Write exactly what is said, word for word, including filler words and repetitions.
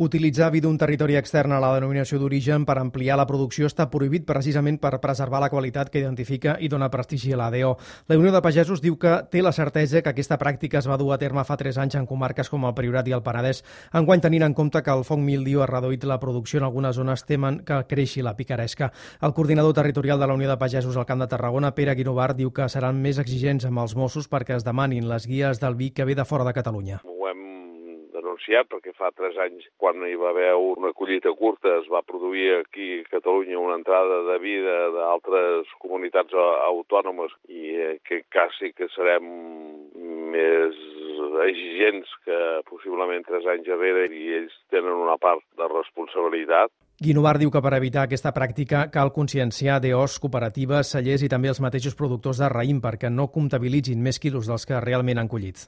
Utilitzar vi d'un territori extern a la denominació d'origen per ampliar la producció està prohibit precisament per preservar la qualitat que identifica i dona prestigi a l'A D O. La Unió de Pagesos diu que té la certesa que aquesta pràctica es va dur a terme fa tres anys en comarques com el Priorat i el Penedès. Enguany, tenint en compte que el foc míldiu ha reduït la producció en algunes zones, temen que creixi la picaresca. El coordinador territorial de la Unió de Pagesos al Camp de Tarragona, Pere Guinovart, diu que seran més exigents amb els Mossos perquè es demanin les guies del vi que ve de fora de Catalunya. Denunciat perquè fa tres anys, quan hi va haver una collita curta, es va produir aquí a Catalunya una entrada de vi d'altres comunitats autònomes i en aquest cas sí que serem més exigents que possiblement tres anys enrere i ells tenen una part de responsabilitat. Guinovart diu que per evitar aquesta pràctica cal conscienciar D Os, cooperatives, cellers i també els mateixos productors de raïm perquè no comptabilitzin més quilos dels que realment han collit.